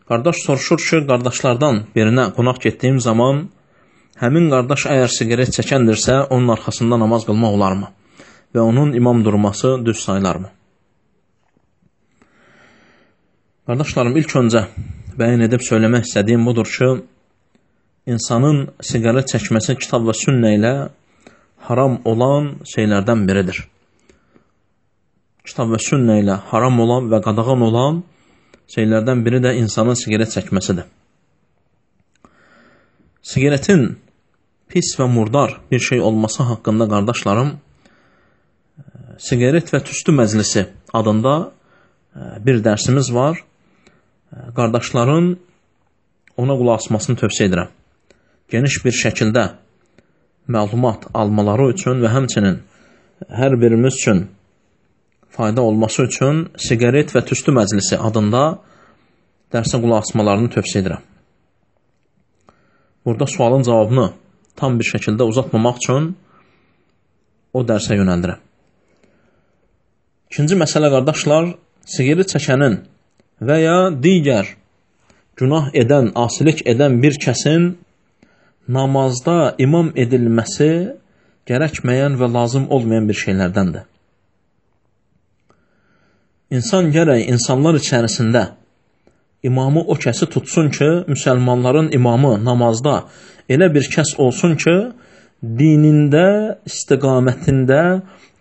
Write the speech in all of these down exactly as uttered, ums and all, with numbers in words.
Qardaş soruşur ki, qardaşlardan birinə qonaq getdiyim zaman həmin qardaş əgər siqaret çəkəndirsə, onun arxasında namaz qılmaq olarmı? Və onun imam durması düz sayılarmı? Qardaşlarım, ilk öncə bəyan edib söyləmək istədiyim budur ki, insanın siqaret çəkməsi kitab və sünnə ilə haram olan şeylərdən biridir. Kitab və sünnə ilə haram olan və qadağan olan şeylərdən biri də insanın siqaret çəkməsidir. Siqaretin pis və murdar bir şey olması haqqında qardaşlarım, siqaret və tüstü məclisi adında bir dərsimiz var. Qardaşların ona qulaq asmasını tövsiyə edirəm. Geniş bir şəkildə məlumat almaları üçün və həmçinin hər birimiz üçün fayda olması üçün siqaret və tüstü məclisi adında dərsə qulaq asmalarını tövsiyə edirəm. Burada sualın cavabını tam bir şəkildə uzatmamaq üçün o dərsə yönəldirəm. İkinci məsələ qardaşlar, siqaret çəkənin və ya digər günah edən, asilik edən bir kəsin namazda imam edilməsi gərəkməyən və lazım olmayan bir şeylərdəndir. İnsan gərək insanlar içərisində imamı o kəsi tutsun ki, müsəlmanların imamı namazda elə bir kəs olsun ki, dinində, istiqamətində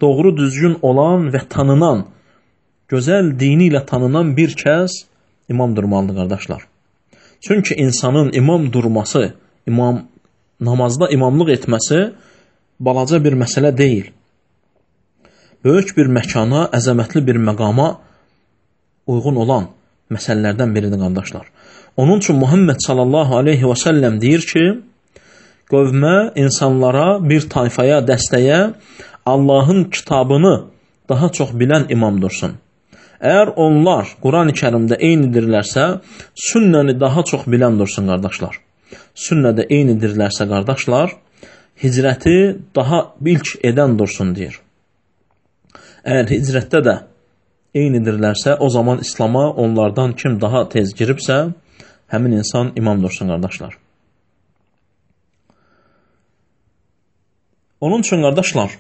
doğru düzgün olan və tanınan, gözəl dini ilə tanınan bir kəs imam durmalıdır, qardaşlar. Çünki insanın imam durması, imam, namazda imamlıq etməsi balaca bir məsələ deyil. Böyük bir məkana, əzəmətli bir məqama uyğun olan məsələlərdən biridir, qardaşlar. Onun üçün Muhammed sallallahu aleyhi və səlləm deyir ki, qövmə, insanlara, bir tayfaya, dəstəyə Allahın kitabını daha çox bilən imam dursun. Əgər onlar Quran-ı Kərimdə eynidirlərsə, sünnəni daha çox bilən dursun, qardaşlar. Sünnədə eynidirlərsə, qardaşlar, hicrəti daha ilk edən dursun, deyir. Əgər hicrətdə də eynidirlərsə, o zaman İslama onlardan kim daha tez giribsə, həmin insan imam dursun, qardaşlar. Onun üçün, qardaşlar,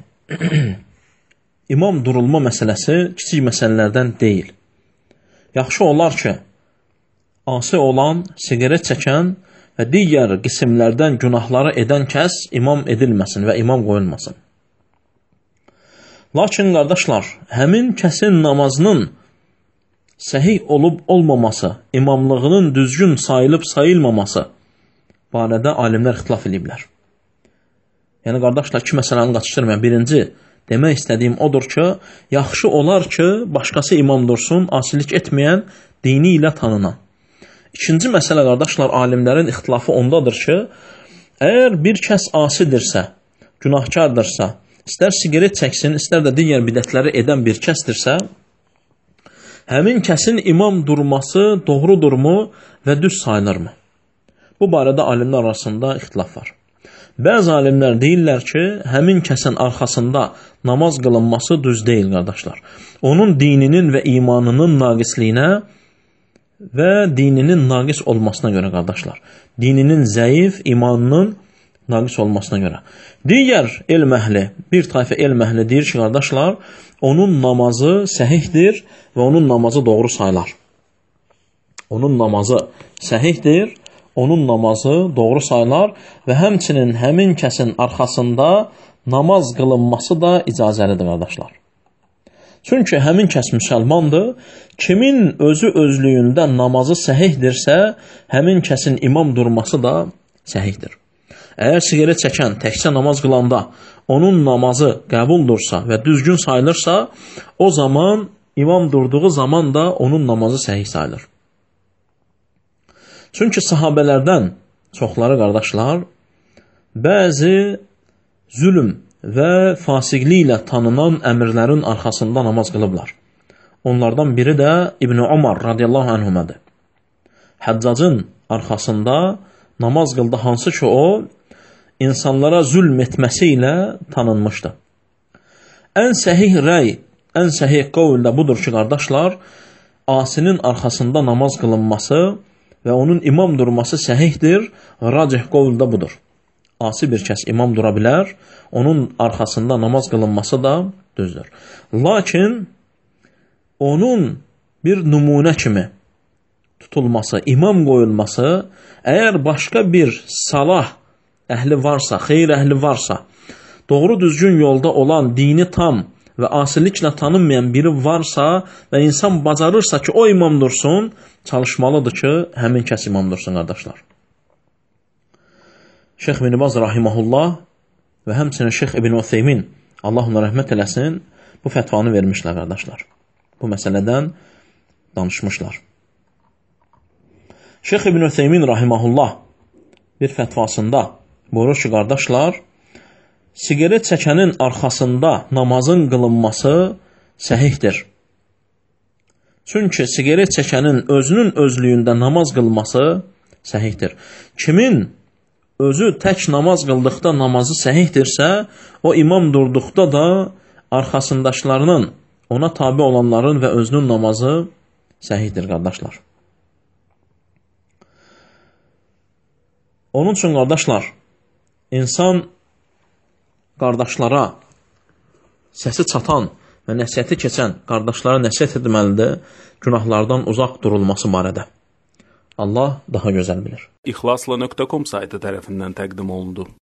imam durulma məsələsi kiçik məsələlərdən deyil. Yaxşı olar ki, asi olan, siqaret çəkən və digər qismlərdən günahları edən kəs imam edilməsin və imam qoyulmasın. Lakin, qardaşlar, həmin kəsin namazının səhih olub olmaması, imamlığının düzgün sayılıb sayılmaması barədə alimlər ixtilaf ediblər. Yəni, qardaşlar, iki məsələni qaçışdırmayan. Birinci, demək istədiyim odur ki, yaxşı olar ki, başqası imam dursun, asilik etməyən, dini ilə tanınan. İkinci məsələ, qardaşlar, alimlərin ixtilafı ondadır ki, əgər bir kəs asidirsə, günahkardırsa, istər siqaret çəksin, istər də digər bidətləri edən bir kəsdirsə, həmin kəsin imam durması doğrudurmu və düz sayılırmı? Bu barədə alimlər arasında ixtilaf var. Bəzi alimlər deyirlər ki, həmin kəsin arxasında namaz qılınması düz deyil, qardaşlar. Onun dininin və imanının naqisliyinə və dininin naqis olmasına görə, qardaşlar. Dininin zəif, imanının naqis olmasına görə. Digər elm əhli, bir tayfə elm əhli deyir ki, qardaşlar, onun namazı səhihdir və onun namazı doğru sayılar. Onun namazı səhihdir, onun namazı doğru sayılar və həmçinin həmin kəsin arxasında namaz qılınması da icazəlidir, qardaşlar. Çünki həmin kəs müsəlmandır, kimin özü özlüyündə namazı səhihdirsə, həmin kəsin imam durması da səhihdir. Əgər siqaret çəkən təkcə namaz qılanda onun namazı qəbuldursa və düzgün sayılırsa, o zaman imam durduğu zaman da onun namazı səhih sayılır. Çünki sahabələrdən çoxları, qardaşlar, bəzi zülm və fasiqlik ilə tanınan əmirlərin arxasında namaz qılıblar. Onlardan biri də İbn Umar radiyallahu anhumadır. Həccacın arxasında namaz qıldı, hansı ki o, insanlara zülm etməsi ilə tanınmışdı. Ən səhih rəy, ən səhih qovl da budur ki, qardaşlar, asinin arxasında namaz qılınması və onun imam durması səhihdir, racih qovl da budur. Asi bir kəs imam dura bilər, onun arxasında namaz qılınması da düzdür. Lakin onun bir nümunə kimi tutulması, imam qoyulması, əgər başqa bir salah əhli varsa, xeyir əhli varsa, doğru düzgün yolda olan, dini tam və asiliklə tanınmayan biri varsa və insan bacarırsa ki, o imam dursun, çalışmalıdır ki, həmin kəs imam dursun, qardaşlar. Şeyx İbn Baz rahiməhullah və həmçinin Şeyx İbn Utheymin, Allah ona rəhmət eləsin, bu fətvanı vermişlər, qardaşlar. Bu məsələdən danışmışlar. Şeyx İbn Utheymin rahiməhullah bir fətvasında buyurur ki, qardaşlar, sigaret çəkənin arxasında namazın qılınması səhihdir. Çünki sigaret çəkənin özünün özlüyündə namaz qılması səhihdir. Kimin özü tək namaz qıldıqda namazı səhihdirsə, o imam durduqda da arxasındaşlarının, ona tabi olanların və özünün namazı səhihdir, qardaşlar. Onun üçün, qardaşlar, insan qardaşlara səsi çatan və nəsiyyəti keçən qardaşlara nəsiyyət etməlidir, günahlardan uzaq durulması barədə. Allah daha gözəl bilir. İxlasla nöqtə com saytı tərəfindən təqdim olundu.